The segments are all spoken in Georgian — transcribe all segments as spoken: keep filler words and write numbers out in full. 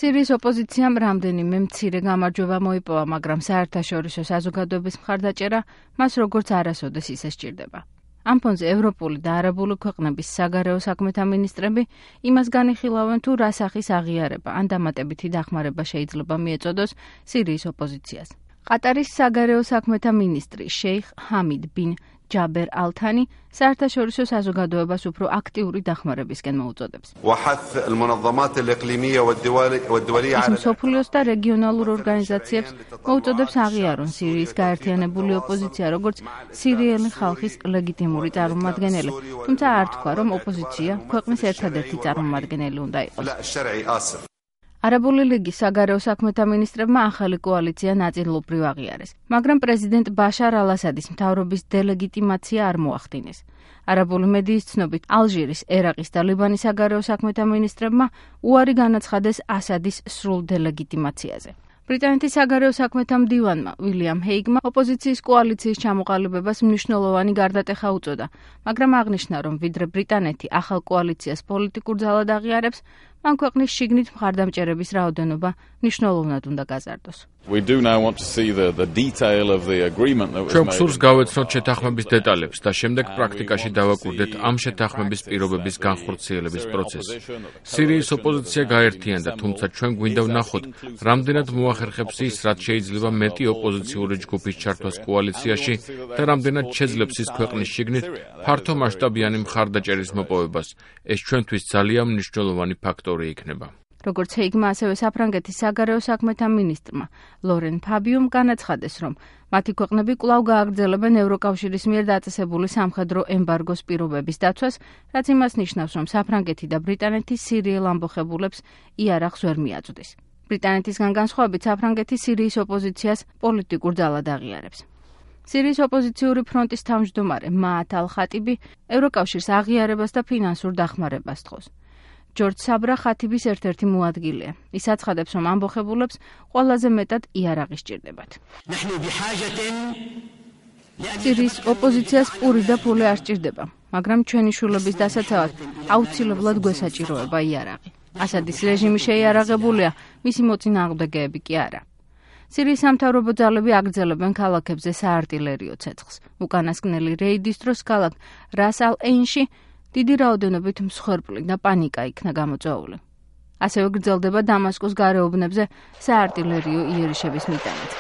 სირიის ოპოზიციამ რამდენიმე მცირე გამარჯვება მოიპოვა, მაგრამ საერთაშორისო საზოგადოების მხარდაჭერა მას როგორც არასოდეს ისე სჭირდება. ამ ფონზე ევროპული და არაბული ქვეყნების საგარეო საქმეთა მინისტრები იმას განიხილავენ, თუ რა სახის აღიარება ან დამატებითი დახმარება შეიძლება მიეწოდოს სირიის ოპოზიციას. ყატარის საგარეო საქმეთა მინისტრი შეიხ ჰამიდ ბინ ჯაბერ ალ-თანი საერთაშორისო საზოგადოებას უფრო აქტიური დახმარებისკენ მოუწოდებს. ის მსოფლიოს და რეგიონალურ ორგანიზაციებს მოუწოდებს აღიარონ სირიის გაერთიანებული ოპოზიცია როგორც სირიელი ხალხის ლეგიტიმური წარმომადგენელი, თუმცა არ თქვა, რომ ოპოზიცია ქვეყნის ერთადერთი წარმომადგენელი უნდა იყოს. არაბული ლიგის საგარეო საქმეთა მინისტრებმა ახალი კოალიცია ნაწილობრივ აღიარეს, მაგრამ პრეზიდენტ ბაშარ ალ-ასადის მთავრობის დელეგიტიმაცია არ მოახდინეს. არაბული მედიის ცნობით, ალჟირის, ერაყის და ლიბანის საგარეო საქმეთა მინისტრებმა უარი განაცხადეს ასადის სრულ დელეგიტიმაციაზე. ბრიტანეთის საგარეო საქმეთა მდივანმა უილიამ ჰეიგმა ოპოზიციის კოალიციის ჩამოყალიბებას მნიშვნელოვანი გარდატეხა უწოდა, მაგრამ აღნიშნა, რომ ვიდრე ბრიტანეთი ახალ კოალიციას პოლიტიკურ ძალად აღიარებს, მან ქვეყნის შიგნით მხარდამჭერების რაოდენობა მნიშვნელოვნად უნდა გაზარდოს. ჩვენ გსურს გავეცნოთ შეთანხმების დეტალებს და შემდეგ პრაქტიკაში დავაკვირდეთ ამ შეთანხმების პირობების განხორციელების პროცესი. სირიის ოპოზიცია გაერთიანდა, თუმცა ჩვენ გვინდა ვნახოთ, რამდენად მოახერხებს ის, რაც შეიძლება მეტი ოპოზიციური ჯგუფის ჩართვას კოალიციაში და რამდენად შეძლებს ის ქვეყნის შიგნით ფართომასშტაბიანი მხარდაჭერის მოპოვებას. ეს ჩვენთვის ძალიან მნიშვნელოვანი ფაქტორი იქნება. როგორც ჰეიგმა, ასევე საფრანგეთის საგარეო საქმეთა მინისტრმა ლორენ ფაბიუმ განაცხადეს, რომ მათი ქვეყნები კვლავ გააგრძელებენ ევროკავშირის მიერ დაწესებული სამხედრო ემბარგოს პირობების დაცვას, რაც იმას ნიშნავს, რომ საფრანგეთი და ბრიტანეთი სირიელ ამბოხებულებს იარაღს ვერ მიაწვდის. ბრიტანეთისგან განსხვავებით, საფრანგეთი სირიის ოპოზიციას პოლიტიკურ ძალად აღიარებს. სირიის ოპოზიციური ფრონტის თავმჯდომარე მაათ ალ-ხატიბი ევროკავშირს აღიარებას და ფინანსურ დახმარებას თხოვს. ჯორჯ საბრა ხათიბის ერთ-ერთი მოადგილეა. ის აცხადებს, რომ ამბოხებულებს ყველაზე მეტად იარაღი სჭირდებათ. სირიის ოპოზიციას პური და ფული არ სჭირდება, მაგრამ ჩვენი შვილების დასაცავად აუცილებლად გვესაჭიროება იარაღი. ასადის რეჟიმი შეიარაღებულია, მისი მოწინააღმდეგეები კი არა. სირიის სამთავრობო ძალები აგრძელებენ ქალაქებზე საარტილერიო ცეცხლს. უკანასკნელი რეიდის დროს ქალაქ რას ალ-ეინში დიდი რაოდენობით მსხვერპლი და პანიკა იქნა გამოწვეული. ასევე გრძელდება დამასკოს გარეუბნებზე საარტილერიო იერიშების მიტანით.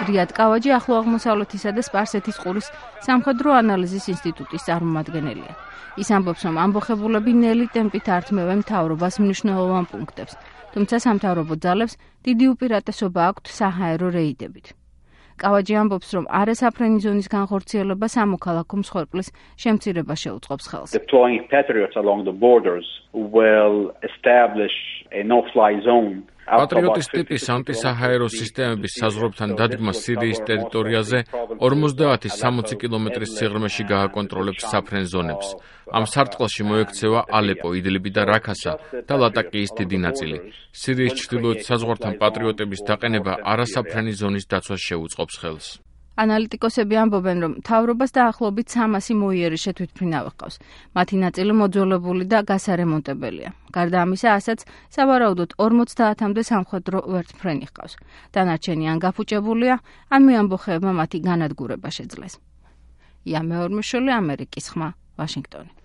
რიად კავაჯი ახლო აღმოსავლეთისა და სპარსეთის ყურის სამხედრო ანალიზის ინსტიტუტის წარმომადგენელია. ის ამბობს, რომ ამბოხებულები ნელი ტემპით ართმევენ მთავრობას მნიშვნელოვან პუნქტებს, თუმცა სამთავრობო ძალებს დიდი უპირატესობა აქვთ საჰაერო რეიდებით. კავაჯი ამბობს, რომ არასაფრენი ზონის განხორციელება სამოქალაქო მსხვერპლის შემცირებას შეუწყობს ხელს. Deploying patriots along the borders will establish a no-fly zone. პატრიოტის ტიპის ანტისაჰაერო სისტემების საზღვრებთან დადგმა სირიის ტერიტორიაზე ორმოცდაათი სამოცი კილომეტრის სიღრმეში გააკონტროლებს საფრენ ზონებს. ამ სარტყელში მოექცევა ალეპო, იდლიბი და რაქასა და ლატაკიის დიდი ნაწილი. სირიის ჩრდილოეთ საზღვართან პატრიოტების დაყენება არასაფრენი ზონის დაცვას შეუწყობს ხელს. ანალიტიკოსები ამბობენ, რომ მთავრობას დაახლოებით სამასი მოიერიშე თვითმფრინავი ჰყავს. მათი ნაწილი მოძველებული და გასარემონტებელია. გარდა ამისა, ასაც სავარაუდოდ ორმოცდაათამდე სამხედრო ვერტმფრენი ჰყავს. დანარჩენი ან გაფუჭებულია, ან მეამბოხეებმა მათი განადგურება შეძლეს. ია მეორმოშვილი, ამერიკის ხმა, ვაშინგტონი.